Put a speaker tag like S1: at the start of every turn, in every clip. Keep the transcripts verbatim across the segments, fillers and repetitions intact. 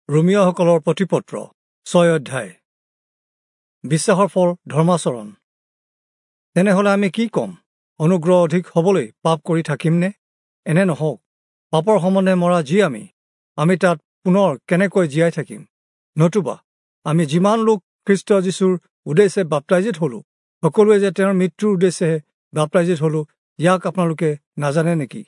S1: ৰোমীয়াসকলৰ প্ৰতিপত্ৰ ছয় অধ্যায়। বিশ্বাসৰ ফল ধৰ্মাচৰণ। তেনেহ'লে আমি কি ক'ম? অনুগ্ৰহ অধিক হ'বলৈ পাপ কৰি থাকিমনে? এনে নহওক। পাপৰ সম্বন্ধে মৰা যি আমি, আমি তাত পুনৰ কেনেকৈ জীয়াই থাকিম? নতুবা আমি যিমান লোক খ্ৰীষ্ট যীশুৰ উদ্দেশ্যে বাপ্তাইজিত হ'লোঁ, সকলোৱে যে তেওঁৰ মৃত্যুৰ উদ্দেশ্যেহে বাপ্তাইজিত হ'লোঁ, ইয়াক আপোনালোকে নাজানে নেকি?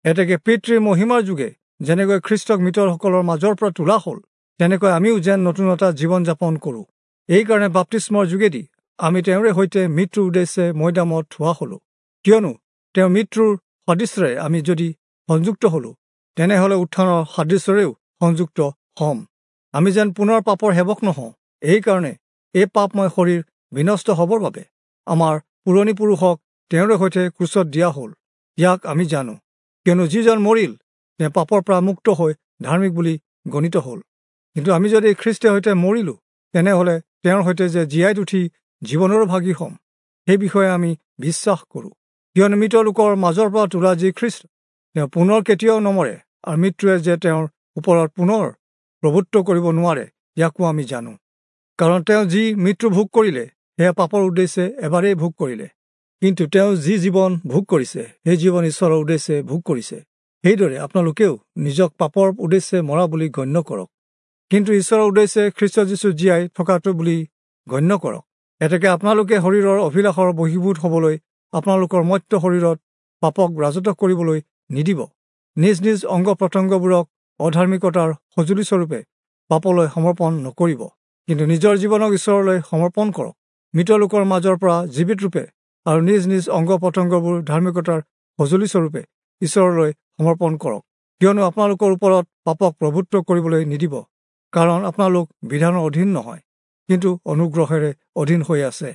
S1: এতেকে পিতৃৰ মহিমাৰ যোগে যেনেকৈ খ্ৰীষ্টক মৃতসকলৰ মাজৰ পৰা তোলা হ'ল, তেনেকৈ আমিও যেন নতুনতা জীৱন যাপন কৰোঁ। এইকাৰণে বাপ্তিস্মৰ যোগেদি আমি তেওঁৰে সৈতে মৃত্যুৰ উদ্দেশ্যে মৈদামত থোৱা হ'লোঁ। কিয়নো তেওঁ মৃত্যুৰ সাদৃশ্যৰে আমি যদি সংযুক্ত হ'লোঁ, তেনেহ'লে উত্থানৰ সাদৃশ্যৰেও সংযুক্ত হ'ম। আমি যেন পুনৰ পাপৰ সেৱক নহওঁ, এইকাৰণে এই পাপময় শৰীৰ বিনষ্ট হ'বৰ বাবে আমাৰ পুৰণি পুৰুষক তেওঁৰে সৈতে ক্ৰুচত দিয়া হ'ল। ইয়াক আমি জানো, কিয়নো যিজন মৰিল তেওঁ পাপৰ পৰা মুক্ত হৈ ধাৰ্মিক বুলি গণিত হ'ল। কিন্তু আমি যদি খ্ৰীষ্টৰ সৈতে মৰিলোঁ, তেনেহ'লে তেওঁৰ সৈতে যে জীয়াই উঠি জীৱনৰো ভাগী হ'ম, সেই বিষয়ে আমি বিশ্বাস কৰোঁ। কিয়নো মৃত লোকৰ মাজৰ পৰা তোলা যি খ্ৰীষ্ট, তেওঁ পুনৰ কেতিয়াও নমৰে, আৰু মৃত্যুৱে যে তেওঁৰ ওপৰত পুনৰ প্ৰভুত্ব কৰিব নোৱাৰে, ইয়াকো আমি জানো। কাৰণ তেওঁ যি মৃত্যু ভোগ কৰিলে, সেয়া পাপৰ উদ্দেশ্যে এবাৰেই ভোগ কৰিলে, কিন্তু তেওঁ যি জীৱন ভোগ কৰিছে, সেই জীৱন ঈশ্বৰৰ উদ্দেশ্যে ভোগ কৰিছে। সেইদৰে আপোনালোকেও নিজক পাপৰ উদ্দেশ্যে মৰা বুলি গণ্য কৰক, কিন্তু ঈশ্বৰৰ উদ্দেশ্যে খ্ৰীষ্ট যীশু জীয়াই থকাটো বুলি গণ্য কৰক। এতেকে আপোনালোকে শৰীৰৰ অভিলাষৰ বশীভূত হ'বলৈ আপোনালোকৰ মত্য শৰীৰত পাপক ৰাজত্ব কৰিবলৈ নিদিব। নিজ নিজ অংগ প্ৰত্যংগবোৰক অধাৰ্মিকতাৰ সঁজুলিস্বৰূপে পাপলৈ সমৰ্পণ নকৰিব, কিন্তু নিজৰ জীৱনক ঈশ্বৰলৈ সমৰ্পণ কৰক, মৃত লোকৰ মাজৰ পৰা জীৱিত ৰূপে, আৰু নিজ নিজ অংগ প্ৰত্যংগবোৰ ধাৰ্মিকতাৰ সঁজুলিস্বৰূপে ঈশ্বৰলৈ সমৰ্পণ কৰক। কিয়নো আপোনালোকৰ ওপৰত পাপক প্ৰভুত্ব কৰিবলৈ নিদিব, কাৰণ আপোনালোক বিধানৰ অধীন নহয়, কিন্তু অনুগ্ৰহেৰে অধীন হৈ আছে।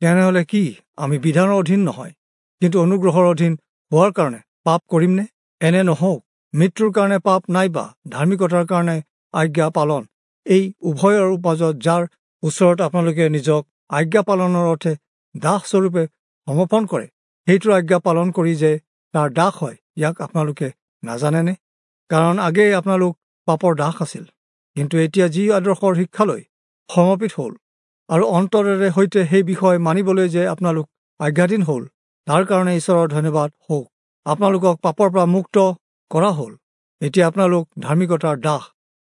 S1: তেনেহ'লে কি আমি বিধানৰ অধীন নহয়, কিন্তু অনুগ্ৰহৰ অধীন হোৱাৰ কাৰণে পাপ কৰিমনে? এনে নহওক। মৃত্যুৰ কাৰণে পাপ নাইবা ধাৰ্মিকতাৰ কাৰণে আজ্ঞা পালন, এই উভয়ৰ মাজত যাৰ ওচৰত আপোনালোকে নিজক আজ্ঞা পালনৰ অৰ্থে দাসস্বৰূপে সমৰ্পণ কৰে, সেইটোৰ আজ্ঞা পালন কৰি যে তাৰ দাস হয়, ইয়াক আপোনালোকে নাজানেনে? কাৰণ আগেয়ে আপোনালোক পাপৰ দাস আছিল, কিন্তু এতিয়া যি আদৰ্শৰ শিক্ষালৈ সমৰ্পিত হ'ল আৰু অন্তৰেৰে সৈতে সেই বিষয় মানিবলৈ যে আপোনালোক আজ্ঞাধীন হ'ল, তাৰ কাৰণে ঈশ্বৰৰ ধন্যবাদ হওক। আপোনালোকক পাপৰ পৰা মুক্ত কৰা হ'ল, এতিয়া আপোনালোক ধাৰ্মিকতাৰ দাস।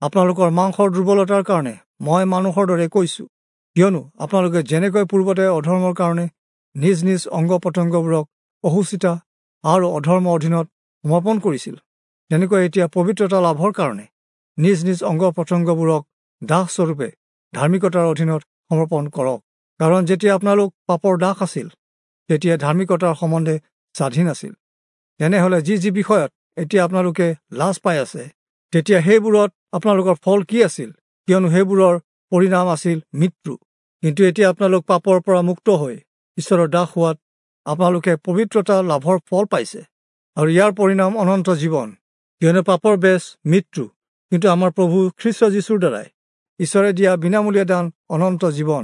S1: আপোনালোকৰ মাংসৰ দুৰ্বলতাৰ কাৰণে মই মানুহৰ দৰে কৈছোঁ, কিয়নো আপোনালোকে যেনেকৈ পূৰ্বতে অধৰ্মৰ কাৰণে নিজ নিজ অংগ প্ৰত্যংগবোৰক অসুচিতা আৰু অধৰ্মৰ অধীনত সমৰ্পণ কৰিছিল, তেনেকৈ এতিয়া পবিত্ৰতা লাভৰ কাৰণে নিজ নিজ অংগ প্ৰত্যংগবোৰক দাসস্বৰূপে ধাৰ্মিকতাৰ অধীনত সমৰ্পণ কৰক। কাৰণ যেতিয়া আপোনালোক পাপৰ দাস আছিল, তেতিয়া ধাৰ্মিকতাৰ সম্বন্ধে স্বাধীন আছিল। তেনেহ'লে যি যি বিষয়ত এতিয়া আপোনালোকে লাজ পাই আছে, তেতিয়া সেইবোৰত আপোনালোকৰ ফল কি আছিল? কিয়নো সেইবোৰৰ পৰিণাম আছিল মৃত্যু। কিন্তু এতিয়া আপোনালোক পাপৰ পৰা মুক্ত হৈ ঈশ্বৰৰ দাস হোৱাত আপোনালোকে পবিত্ৰতা লাভৰ ফল পাইছে, আৰু ইয়াৰ পৰিণাম অনন্ত জীৱন। কিয়নো পাপৰ বেচ মৃত্যু, কিন্তু আমাৰ প্ৰভু খ্ৰীষ্ট যীশুৰ দ্বাৰাই ঈশ্বৰে দিয়া বিনামূলীয়া দান অনন্ত জীৱন।